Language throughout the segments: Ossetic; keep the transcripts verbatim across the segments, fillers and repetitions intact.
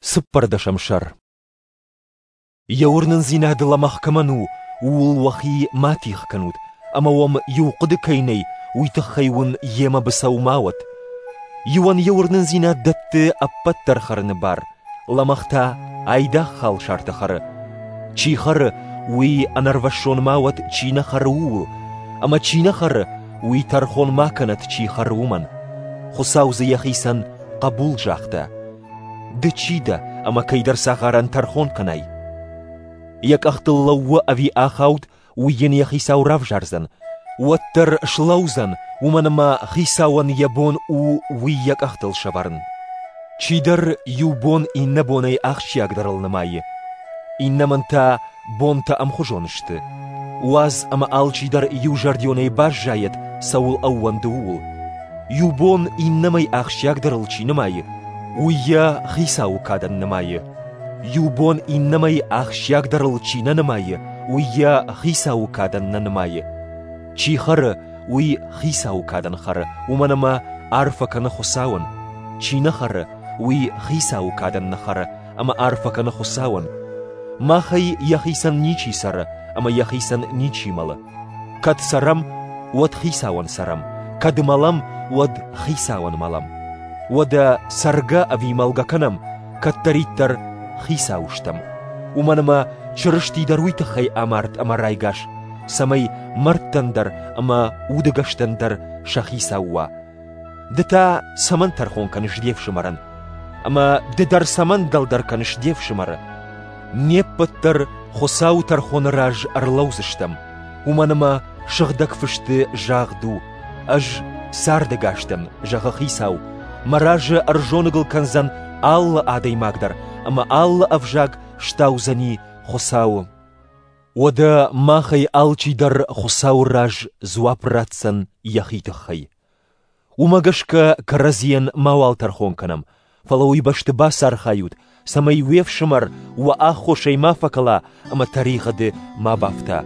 Цыппӕрдӕсӕм сӕр. Йӕ уырнындзинад лӕмӕгъ кӕмӕн у, ууыл уӕхи ма тигъ кӕнут, ӕмӕ уӕм иу хъуыды кӕй нӕй, уый тыххӕй уын йемӕ быцӕу ма уӕд. Иуӕн йӕ уырнындзинад дӕтты ӕппӕт дӕр хӕрыны бар, лӕмӕгъ та айдагъ халсартӕ хӕры. Чи хӕры, уый ӕнӕрвӕссон ма уӕд, чи нӕ хӕры, ууыл, ӕмӕ чи нӕ хӕры, уый тӕрхон ма кӕнӕд, чи хӕры, уымӕн. Хуыцау дзы йӕхицӕн хъӕбул загъта. Ды чи дӕ, ӕмӕ кӕйдӕр цагъарӕн тӕрхон кӕнай? Йӕ къӕхтыл лӕууы ӕви ахауд, уый йын йӕ хицау равзардзӕн. Уӕддӕр слӕудзӕн, уымӕн ӕмӕ хицауӕн йӕ бон у уый йӕ къӕхтыл сӕвӕрын. Чидӕр иу бон иннӕ бонӕй ахсджиагдӕрыл нымайы. Иннӕмӕн та бонтӕ ӕмхуызон сты. Уадз ӕмӕ алчидӕр иузӕрдионӕй баззайӕд, цӕуыл ӕууӕнды, ууыл. Иу бон иннӕмӕй ахсджиагдӕрыл чи нымайы, уый йӕ хицауы кадӕн нымайы. Иу бон иннӕмӕй ахсджиагдӕрыл чи нӕ нымайы, уый йӕ хицауы кадӕн нӕ нымайы. Чи хӕры, уый хицауы кадӕн хӕры, уымӕн ӕмӕ арфӕ кӕны Хуыцауӕн. Чи нӕ хӕры, уый хицауы кадӕн нӕ хӕры ӕмӕ арфӕ кӕны Хуыцауӕн. Махӕй йӕхицӕн ничи цӕры ӕмӕ йӕхицӕн ничи мӕлы. Кӕд цӕрӕм, уӕд хицауӕн цӕрӕм, кӕд мӕлӕм, уӕд хицауӕн мӕлӕм. Уӕдӕ цӕргӕ ӕви мӕлгӕ кӕнӕм, кӕддӕриддӕр хицау стӕм. Уымӕн ӕмӕ Чырысти дӕр уый тыххӕй амард ӕмӕ райгас, цӕмӕй мӕрдтӕн дӕр ӕмӕ удӕгӕстӕн дӕр сӕ хицау уа. Ды та цӕмӕн тӕрхон кӕныс де фсымӕрӕн? Ӕмӕ ды дӕр цӕмӕн дӕлдӕр кӕныс де фсымӕры? Не ппӕт дӕр Хуыцауы тӕрхоны раз ӕрлӕудзыстӕм, уымӕн ӕмӕ сыгъдӕг фысты загъд у: «Ӕз цардӕгас дӕн, зӕгъы Хицау, мӕ разы ӕрзоныгыл кӕндзӕн алы адӕймаг дӕр ӕмӕ алы ӕвзаг стаудзӕни Хуыцауы». Уӕдӕ махӕй алчидӕр Хуыцауы раз дзуапп ратдзӕн йӕхи тыххӕй. Уымӕ гӕсгӕ кӕрӕдзийӕн мауал тӕрхон кӕнӕм, фӕлӕ уый бӕсты бацархайут, цӕмӕй уе фсымӕр уӕ аххосӕй ма фӕкӕла ӕмӕ тӕригъӕды ма бафта.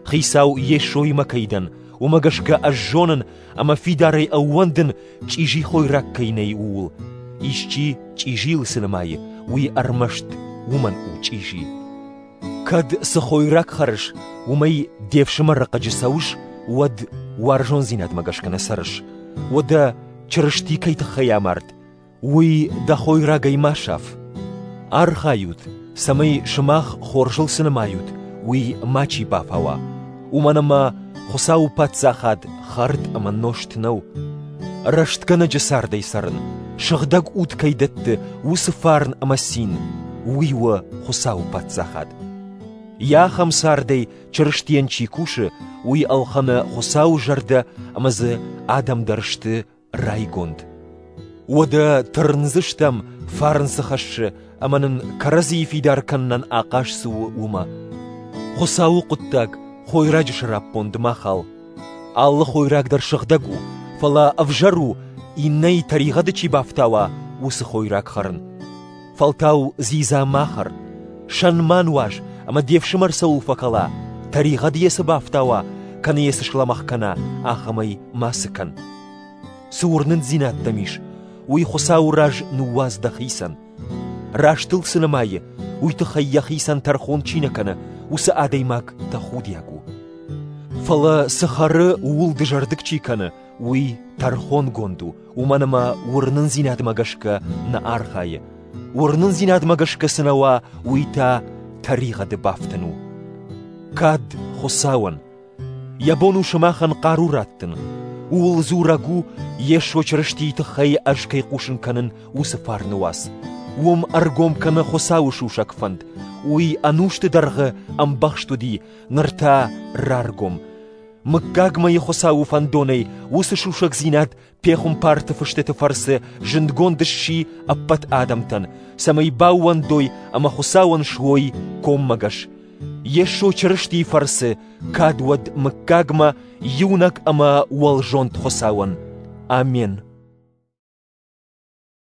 Хицау Йесоимӕ кӕй дӕн, уымӕ гӕсгӕ ӕз зонын ӕмӕ фидарӕй ӕууӕндын, чъизи хойраг кӕй нӕй, ууыл. Исчи чъизийыл цы нымайы, уый ӕрмӕст уымӕн у чъизи. Кӕд цы хойраг хӕрыс, уымӕй де фсымӕры хъыджы цӕуыс, уӕд уарзондзинадмӕ гӕсгӕ нӕ цӕрыс. Уӕдӕ Чырысти кӕй тыххӕй амард, уый дӕ хойрагӕй ма саф. Архайут, цӕмӕй сымах хорзыл цы нымайут, уый мачи бафауа. Уымӕн ӕмӕ Хуыцауы паддзахад хӕрд ӕмӕ нозт нӕу. Рӕстгӕнӕджы цардӕй цӕрын, сыгъдӕг уд кӕй дӕтты, уыцы фарн ӕмӕ цин, уый у Хуыцауы паддзахад. Йӕ ахӕм цардӕй Чырыстийӕн чи кусы, уый ӕлхӕны Хуыцауы зӕрдӕ ӕмӕ дзы адӕм дӕр сты райгонд. Уӕдӕ тырндзыстӕм, фарн цы хӕссы ӕмӕ нын кӕрӕдзийы фидар кӕнынӕн ахъаз цы у, уымӕ. Хуыцауы хъуыддаг хойраджы сӕраппонд ма хал. Алы хойраг дӕр сыгъдӕг у, фӕлӕ ӕвзӕр у, иннӕйы тӕригъӕды чи бафтауа, уыцы хойраг хӕрын. Фӕлтау дзидза ма хӕр, сӕн ма нуаз ӕмӕ де фсымӕр цӕуыл фӕкӕла, тӕригъӕд йӕ цы бафтауа, кӕнӕ йӕ цы слӕмӕгъ кӕна, ахӕмӕй мацы кӕн. Цы уырнындзинад дӕм ис, уый Хуыцауы раз ныууадз дӕхицӕн. Рӕстыл цы нымайы, уый тыххӕй йӕхицӕн тӕрхон чи нӕ кӕны, уыцы адӕймаг тӕхудиаг у. Фӕлӕ цы хӕры, ууыл дызӕрдыг чи кӕны, уый тӕрхонгонд у, уымӕн ӕмӕ уырнындзинадмӕ гӕсгӕ нӕ архайы. Уырнындзинадмӕ гӕсгӕ цы нӕ уа, уый та тӕригъӕды бафтын у. Кад Хуыцауӕн! Йӕ бон у сымахӕн хъару раттын. Ууыл дзурӕг у, Йесо Чырыстийы тыххӕй ӕз кӕй хъусын кӕнын, уыцы фарны уац. Уым ӕргом кӕны Хуыцауы сусӕг фӕнд. Уый ӕнусты дӕргъы ӕмбӕхст уыди, ныр та раргом. Мыггагмӕйы Хуыцауы фӕндонӕй уыцы сусӕгдзинад пехуымпарты фыстыты фӕрцы зындгонд сси ӕппӕт адӕмтӕн, цӕмӕй баууӕндой ӕмӕ Хуыцауӕн суой коммӕгӕс. Йесо Чырыстийы фӕрцы кад уӕд мыггагмӕ иунӕг ӕмӕ уӕлзонд Хуыцауӕн. Амен.